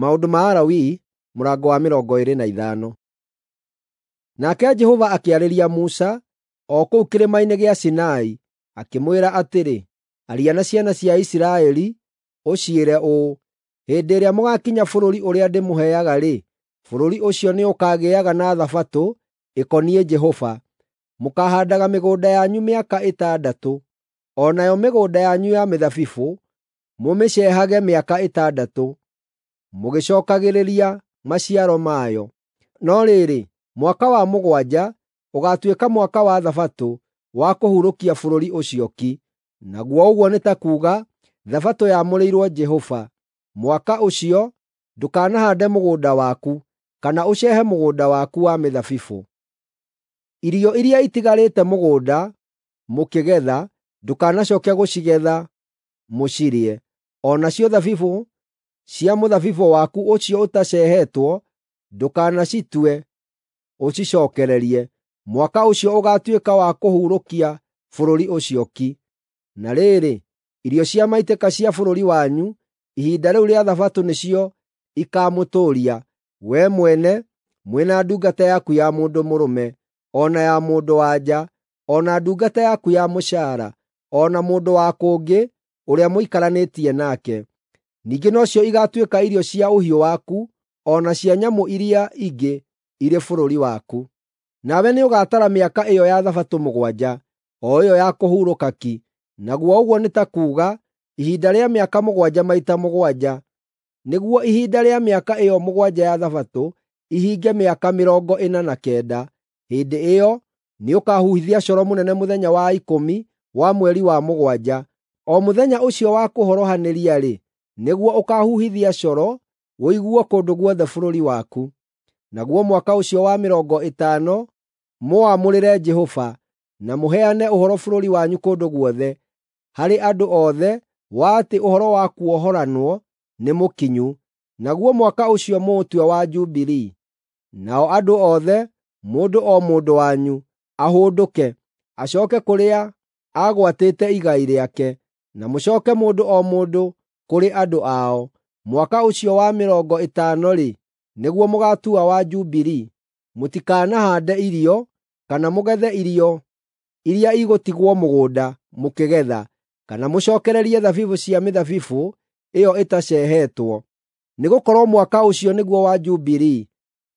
Maũndũ ma Alawii mũrango wa 25. Nake Jehova akĩarĩria Musa o kũu kĩrĩma-inĩ gĩa Sinai, akĩmwĩra atĩrĩ, “Aria na ciana cia Isiraeli, ũciĩre ũũ: ‘Hĩndĩ ĩrĩa mũgaakinya bũrũri ũrĩa ndĩmũheaga-rĩ, bũrũri ũcio nĩũkagĩaga na Thabatũ ĩkoniĩ Jehova. Mũkaahaandaga mĩgũnda yanyu mĩaka ĩtandatũ, o nayo mĩgũnda yanyu ya mĩthabibũ mũmĩcehage mĩaka ĩtandatũ, mũgĩcookagĩrĩria maciaro mayo. No rĩrĩ, mwaka wa mũgwanja ũgaatuĩka mwaka wa Thabatũ wa kũhurũkia bũrũri ũcio ki, naguo ũguo nĩ ta kuuga Thabatũ yamũrĩirwo Jehova. Mwaka ũcio ndũkanahaande mũgũnda waku, kana ũcehe mũgũnda waku wa mĩthabibũ. Irio iria itigarĩte mũgũnda mũkĩgetha, ndũkanacooke gũcigetha mũcirĩe. O nacio thabibũ cia mũthabibũ waku ũcio ũtaceehetwo ndũkanacitue ũcicookererie. Mwaka ũcio ũgaatuĩka wa kũhurũkia bũrũri ũcio ki. Na rĩrĩ, irio cia maitĩka cia bũrũri wanyu ihinda rĩu rĩa Thabatũ nĩcio ikaamũtũũria, wee mwene mwĩ na ndungata yaku ya mũndũ mũrũme, o na ya mũndũ-wa-nja, o na ndungata yaku ya mũcaara, o na mũndũ wa kũngĩ ũrĩa mũikaranĩtie nake. Ningĩ nocio igaatuĩka irio cia ũhiũ waku, o na cia nyamũ iria ingĩ irĩ bũrũri waku. Nawe nĩũgatara mĩaka ĩyo ya Thabatũ mũgwanja, o ĩyo ya kũhurũka ki, naguo ũguo nĩ ta kuuga ihinda rĩa mĩaka mũgwanja maita mũgwanja, nĩguo ihinda rĩa mĩaka ĩyo mũgwanja ya Thabatũ ihinge mĩaka 49. Hĩndĩ ĩyo nĩũkahuhithia coro mũnene mũthenya wa ikũmi wa mweri wa mũgwanja. O mũthenya ũcio wa kũhorohanĩria-rĩ, nĩguo ũkaahuhithia coro ũiguo kũndũ guothe bũrũri waku. Naguo mwaka ũcio wa 50 mũwamũrĩre Jehova, na mũheane ũhoro bũrũri wanyu kũndũ guothe, harĩ andũ othe wa atĩ ũhoro wa kuohoranwo nĩ mũkinyu. Naguo mwaka ũcio mũũtue wa Jubilii. Nao andũ othe, mũndũ o mũndũ wanyu, ahũndũke, acooke kũrĩa aagwatĩte igai rĩake, na mũcooke mũndũ o mũndũ kũrĩ andũ ao. Mwaka ũcio wa 50-rĩ, nĩguo mũgaatua wa Jubilii. Mũtikanahaande irio, kana mũgethe irio iria igũtigwo mũgũnda mũkĩgetha, kana mũcookererie thabibũ cia mĩthabibũ ĩyo ĩtaceehetwo. Nĩgũkorwo mwaka ũcio nĩguo wa Jubilii,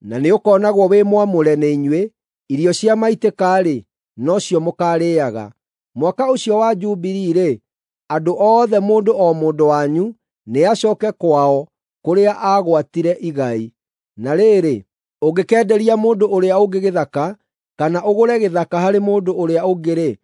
na nĩũkonagwo wĩ mwamũre nĩ inyuĩ. Irio cia maitĩka-rĩ, nocio mũkaarĩĩaga. Mwaka ũcio wa Jubilii-rĩ, andũ othe mũndũ o mũndũ wanyu nĩacooke kwao kũrĩa aagwatire igai. Na rĩrĩ, ũngĩkenderia mũndũ ũrĩa ũngĩ gĩthaka, kana ũgũre gĩthaka harĩ mũndũ ũrĩa ũngĩ-rĩ,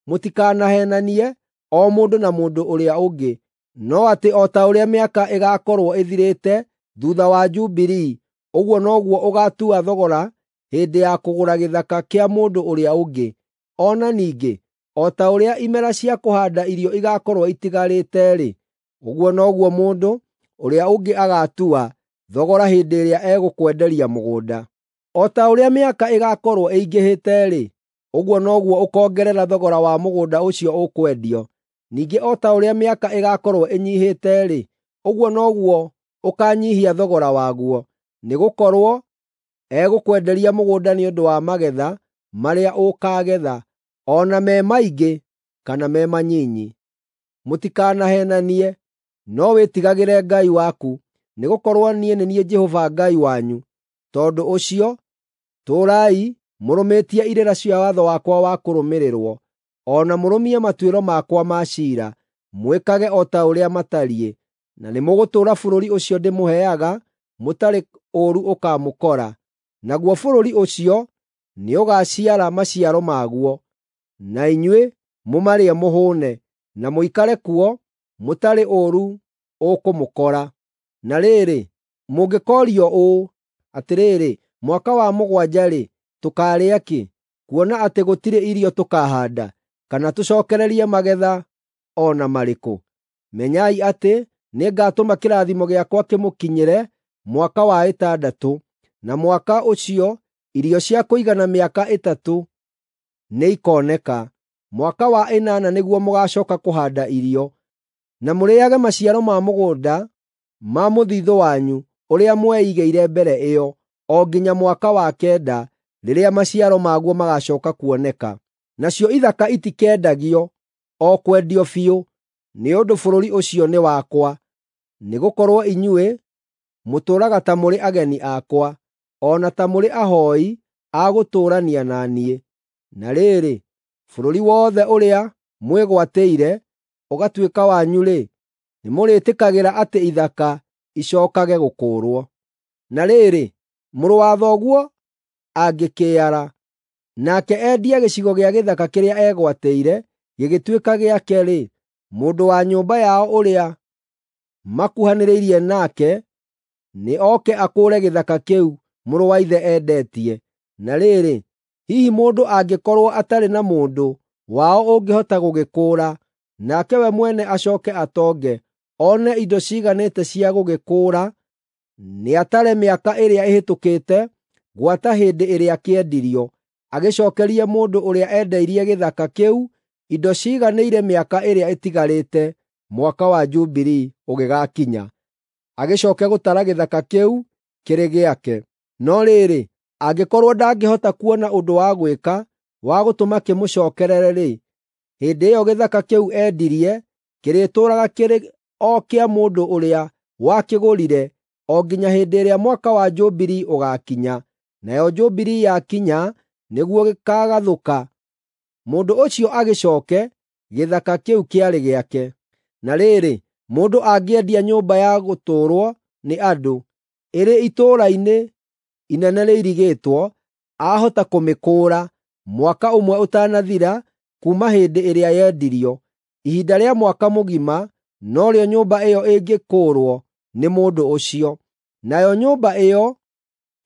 mũtikanaheenanie o mũndũ na mũndũ ũrĩa ũngĩ, no atĩ o ta ũrĩa mĩaka ĩgaakorwo ĩthirĩte thuutha wa Jubilii, ũguo noguo ũgaatua thogora hĩndĩ ya kũgũra gĩthaka kĩa mũndũ ũrĩa ũngĩ. O na ningĩ, o ta ũrĩa imera cia kũhaanda irio igaakorwo itigarĩte-rĩ, ũguo noguo mũndũ ũrĩa ũngĩ agaatua thogora hĩndĩ ĩrĩa egũkwenderia mũgũnda. O ta ũrĩa mĩaka ĩgaakorwo ĩingĩhĩte-rĩ, ũguo noguo ũkoongerera thogora wa mũgũnda ũcio ũkwendio. Ningĩ o ta ũrĩa mĩaka ĩgaakorwo ĩnyiihĩte-rĩ, ũguo noguo ũkaanyiihia thogora waguo, nĩgũkorwo egũkwenderia mũgũnda nĩ ũndũ wa magetha marĩa ũkaagetha, o na me maingĩ kana me manyinyi. Mũtikanaheenanie, no wĩtigagĩre Ngai waku, nĩgũkorwo niĩ nĩ niĩ Jehova Ngai wanyu. Tondũ ũcio, tũũrai mũrũmĩtie irĩra cia watho wakwa wa kũrũmĩrĩrwo, o na mũrũmie matuĩro makwa ma ciira, mwĩkage o ta ũrĩa matariĩ, na nĩmũgũtũũra bũrũri ũcio ndĩmũheaga mũtarĩ ũũru ũkaamũkora. Naguo bũrũri ũcio nĩũgaciara maciaro maguo, na inyuĩ mũmarĩe mũhũũne, na mũikare kuo mũtarĩ ũũru ũkũmũkora. Na rĩrĩ, mũngĩkoorio ũũ, “Atĩrĩrĩ, mwaka wa mũgwanja-rĩ, tũkaarĩa kĩ, kuona atĩ gũtirĩ irio tũkahaanda, kana tũcookererie magetha o na marĩkũ?” Menyai atĩ nĩngatũma kĩrathimo gĩakwa kĩmũkinyĩre mwaka wa ĩtandatũ, na mwaka ũcio irio cia kũigana mĩaka ĩtatũ nĩikoneka. Mwaka wa ĩnana nĩguo mũgaacooka kũhaanda irio, na mũrĩĩage maciaro ma mũgũnda ma mũthiithũ wanyu. ũrĩa mweigĩire mbere ĩyo, o nginya mwaka wa kenda, rĩrĩa maciaro maguo magaacooka kuoneka. Nacio ithaka itikendagio o kwendio biũ, nĩ ũndũ bũrũri ũcio nĩ wakwa. Nĩgũkorwo inyuĩ mũtũũraga ta mũrĩ ageni akwa, o na ta mũrĩ ahooi a gũtũũrania na niĩ. Na rĩrĩ, bũrũri wothe ũrĩa mwĩgwatĩire ũgatuĩka wanyu-rĩ, nĩmũrĩĩtĩkagĩra atĩ ithaka icookage gũkũũrwo. Na rĩrĩ, mũrũ wa thoguo angĩkĩara, nake endie gĩcigo gĩa gĩthaka kĩrĩa eegwatĩire gĩgĩtuĩka gĩake-rĩ, mũndũ wa nyũmba yao ũrĩa makuhanĩrĩirie nake nĩ oke akũũre gĩthaka kĩu mũrũ wa ithe endetie. Na rĩrĩ, hihi mũndũ angĩkorwo atarĩ na mũndũ wao ũngĩhota gũgĩkũũra, nake we mwene acooke atonge, one indo ciiganĩte cia gũgĩkũũra, nĩatare mĩaka ĩrĩa ĩhĩtũkĩte gwata hĩndĩ ĩrĩa kĩendirio, agĩcookerie mũndũ ũrĩa endeirie gĩthaka kĩu indo ciiganĩire mĩaka ĩrĩa ĩtigarĩte Mwaka wa Jubilii ũgĩgaakinya, agĩcooke gũtara gĩthaka kĩu kĩrĩ gĩake. No rĩrĩ, angĩkorwo ndangĩhota kuona ũndũ wa gwĩka wa gũtũma kĩmũcookerere-rĩ, hĩndĩ ĩyo gĩthaka kĩu endirie kĩrĩtũũraga kĩrĩ o kĩa mũndũ ũrĩa wakĩgũrire o nginya hĩndĩ ĩrĩa Mwaka wa Jubilii ũgaakinya. Nayo Jubilii yakinya nĩguo gĩkaagathũka, mũndũ ũcio agĩcooke gĩthaka kĩu kĩarĩ gĩake. Na rĩrĩ, mũndũ angĩendia nyũmba ya gũtũũrwo nĩ andũ, ĩrĩ itũũra-inĩ inene rĩirigĩtwo, aahota kũmĩkũũra mwaka ũmwe ũtanathira kuuma hĩndĩ ĩrĩa yendirio. Ihinda rĩa mwaka mũgima norĩo nyũmba ĩyo ĩngĩkũũrwo nĩ mũndũ ũcio. Nayo nyũmba ĩyo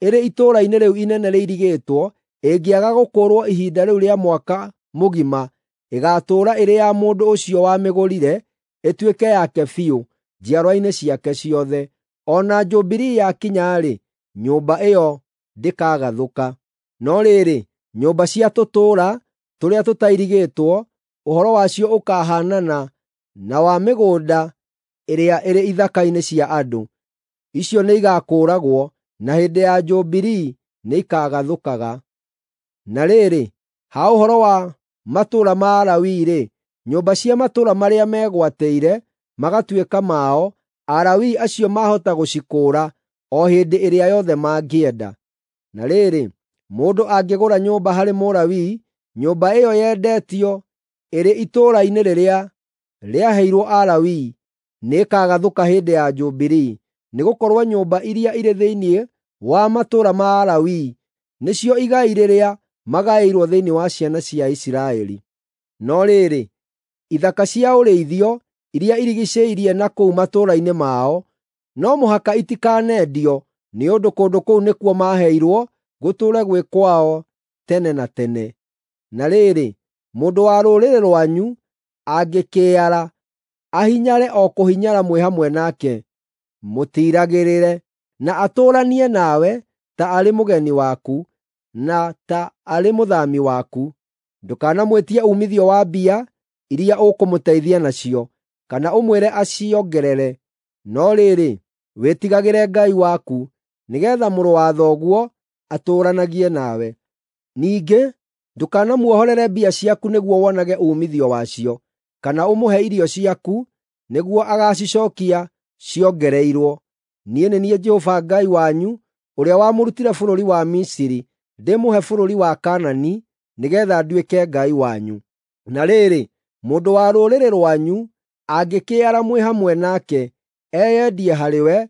ĩrĩ itũũra-inĩ rĩu inene rĩirigĩtwo ĩngĩaga gũkũũrwo ihinda rĩu rĩa mwaka mũgima, ĩgaatũũra ĩrĩ ya mũndũ ũcio wamĩgũrire, ĩtuĩke yake biũ njiarwa-inĩ ciake ciothe. O na Jubilii yakinya-rĩ, nyũmba ĩyo ndĩkagathũka. No rĩrĩ, nyũmba cia tũtũũra tũrĩa tũtairigĩtwo, ũhoro wacio ũkaahaanana na wa mĩgũnda ĩrĩa ĩrĩ ithaka-inĩ cia andũ. Icio nĩigakũũragwo, na hĩndĩ ya Jubilii nĩikagathũkaga. Na rĩrĩ, ha ũhoro wa matũũra ma Alawii-rĩ, nyũmba cia matũũra marĩa megwatĩire magatuĩka mao, Alawii acio maahota gũcikũũra o hĩndĩ ĩrĩa yothe mangĩenda. Na rĩrĩ, mũndũ angĩgũra nyũmba harĩ Mũlawii, nyũmba ĩyo yendetio ĩrĩ itũũra-inĩ rĩrĩa rĩaheirwo Alawii nĩĩkagathũka hĩndĩ ya Jubilii, nĩgũkorwo nyũmba iria irĩ thĩinĩ wa matũũra ma Alawii nĩcio igai rĩrĩa magaĩirwo thĩinĩ wa ciana cia Isiraeli. No rĩrĩ, ithaka cia ũrĩithio iria irigiicĩirie na kũu matũũra-inĩ mao no mũhaka itikanendio, nĩ ũndũ kũndũ kũu nĩkuo maaheirwo gũtũũre gwĩ kwao tene na tene. Na rĩrĩ, mũndũ wa rũrĩrĩ rwanyu angĩkĩara, ahinyare o kũhinyara mwĩ hamwe nake, mũtiiragĩrĩre, na atũũranie nawe ta arĩ mũgeni waku, na ta arĩ mũthaami waku. Ndũkanamwĩtie uumithio wa mbia iria ũkũmũteithia nacio, kana ũmwĩre aciongerere. No rĩrĩ, wĩtigagĩre Ngai waku, nĩgeetha mũrũ wa thoguo atũũranagie nawe. Ningĩ ndũkanamuohorere mbia ciaku nĩguo wonage uumithio wacio, kana ũmũhe irio ciaku nĩguo agaacicookia ciongereirwo. Niĩ nĩ niĩ Jehova Ngai wanyu ũrĩa wamũrutire bũrũri wa Misiri ndĩmũhe bũrũri wa Kaanani nĩgeetha nduĩke Ngai wanyu. Na rĩrĩ, mũndũ wa rũrĩrĩ rwanyu angĩkĩara mwĩ hamwe nake, eyendie harĩwe,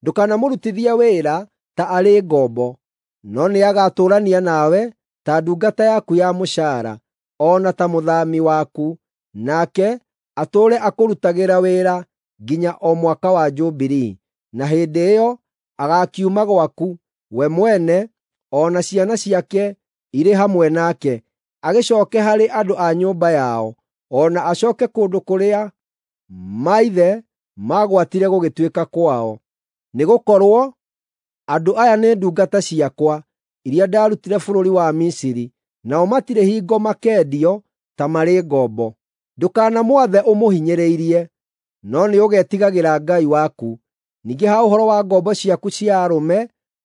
ndũkanamũrutithie wĩra ta arĩ ngombo, no nĩagatũũrania nawe ta ndungata yaku ya mũcaara, o na ta mũthaami waku, nake atũũre akũrutagĩra wĩra nginya o Mwaka wa Jubilii. Na hĩndĩ ĩyo agaakiuma gwaku, we mwene o na ciana ciake irĩ hamwe nake, agĩcooke harĩ andũ a nyũmba yao, o na acooke kũndũ kũrĩa maithe maagwatire gũgĩtuĩka kwao. Nĩgũkorwo andũ aya nĩ ndungata ciakwa iria ndaarutire bũrũri wa Misiri, nao matirĩ hingo makeendio ta marĩ ngombo. Ndũkanamwathe ũmũhinyĩrĩirie, no nĩũgetigagĩra Ngai waku. Ningĩ ha ũhoro wa ngombo ciaku cia arũme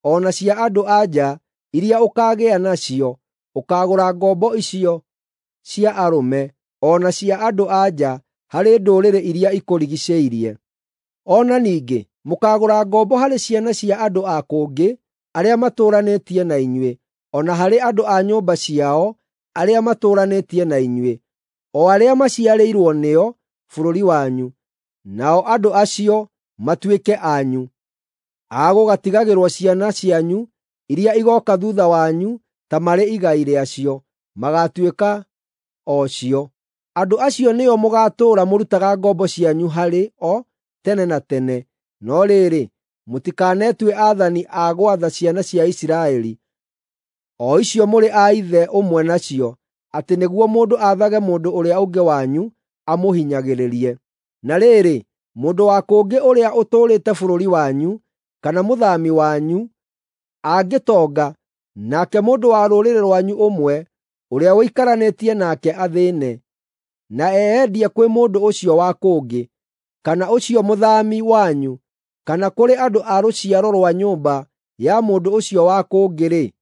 o na cia andũ-a-nja iria ũkaagĩa nacio, ũkaagũra ngombo icio cia arũme o na cia andũ-a-nja harĩ ndũrĩrĩ iria ikũrigiicĩirie. O na ningĩ mũkaagũra ngombo harĩ ciana cia andũ a kũngĩ arĩa matũũranĩtie na inyuĩ, o na harĩ andũ a nyũmba ciao arĩa matũũranĩtie na inyuĩ, o arĩa maciarĩirwo nĩo bũrũri wanyu, nao andũ acio matuĩke anyu. Agũgatigagĩrwo ciana cianyu iria igooka thuutha wanyu ta marĩ igai rĩacio, magaatuĩka o cio. Andũ acio nĩo mũgaatũũra mũrutaga ngombo cianyu harĩ o tene na tene. No rĩrĩ, mũtikanetue aathani a gwatha ciana cia Isiraeli, o icio mũrĩ a ithe ũmwe nacio, atĩ nĩguo mũndũ aathage mũndũ ũrĩa ũngĩ wanyu amũhinyagĩrĩrie. Na rĩrĩ, mũndũ wa kũngĩ ũrĩa ũtũũrĩte bũrũri wanyu, kana mũthaami wanyu, angĩtonga, nake mũndũ wa rũrĩrĩ rwanyu ũmwe ũrĩa ũikaranĩtie nake athĩĩne, na eyendie kwĩ mũndũ ũcio wa kũngĩ, kana ũcio mũthaami wanyu, kana kũrĩ andũ a rũciaro rwa nyũmba ya mũndũ ũcio wa kũngĩ-rĩ,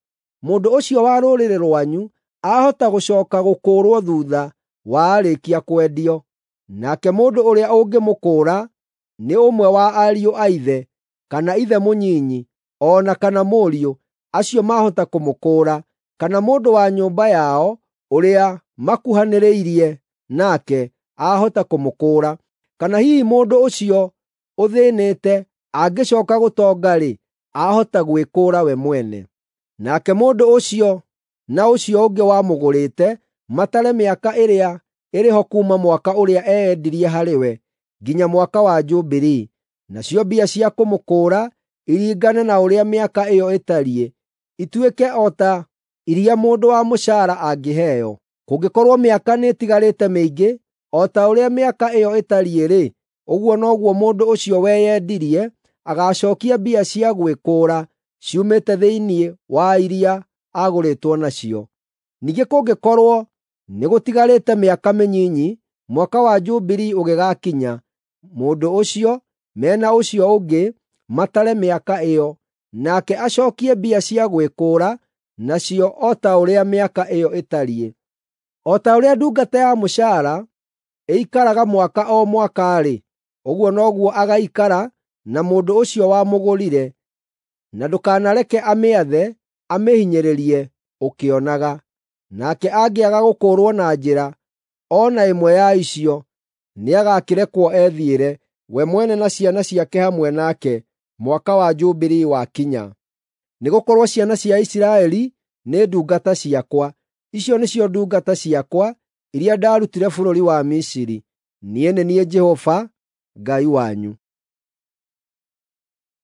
mũndũ ũcio wa rũrĩrĩ rwanyu ahota gũcooka gũkũũrwo thuutha wa aarĩkia kwendio. Nake mũndũ ũrĩa ũngĩmũkũũra nĩ ũmwe wa ariũ a ithe, kana ithe mũnyinyi, o na kana mũriũ, acio maahota kũmũkũũra, kana mũndũ wa nyũmba yao ũrĩa makuhanĩrĩirie nake ahota kũmũkũũra. Kana hihi mũndũ ũcio ũthĩĩnĩte angĩcooka gũtonga-rĩ, ahota gwĩkũũra we mwene. Nake mũndũ ũcio na ũcio ũngĩ wamũgũrĩte matare mĩaka ĩrĩa ĩrĩ ho kuuma mwaka ũrĩa eyendirie harĩ we nginya mwaka wa Jubilii, nacio mbia cia kũmũkũũra iringane na ũrĩa mĩaka ĩyo ĩtariĩ, ituĩke o ta iria mũndũ wa mũcaara angĩheo. Kũngĩkorwo mĩaka nĩĩtigarĩte mĩingĩ o ta ũrĩa mĩaka ĩyo ĩtariĩ-rĩ, ũguo noguo mũndũ ũcio weyendirie agaacookia mbia cia gwĩkũũra ciumĩte thĩinĩ wa iria aagũrĩtwo nacio. Ningĩ kũngĩkorwo nĩgũtigarĩte mĩaka mĩnyinyi mwaka wa Jubilii ũgĩgaakinya, mũndũ ũcio me na ũcio ũngĩ matare mĩaka ĩyo, nake acookie mbia cia gwĩkũũra nacio o ta ũrĩa mĩaka ĩyo ĩtariĩ. O ta ũrĩa ndungata ya mũcaara ĩikaraga mwaka o mwaka-rĩ, ũguo noguo agaikara na mũndũ ũcio wamũgũrire, na ndũkanareke amĩathe amĩhinyĩrĩrie ũkĩonaga. Nake angĩaga gũkũũrwo na njĩra o na ĩmwe ya icio, nĩagakĩrekwo ethiĩre, we mwene na ciana ciake hamwe nake, mwaka wa Jubilii wakinya. Nĩgũkorwo ciana cia Isiraeli nĩ ndungata ciakwa. Icio nĩcio ndungata ciakwa iria ndaarutire bũrũri wa Misiri. Niĩ nĩ niĩ Jehova Ngai wanyu.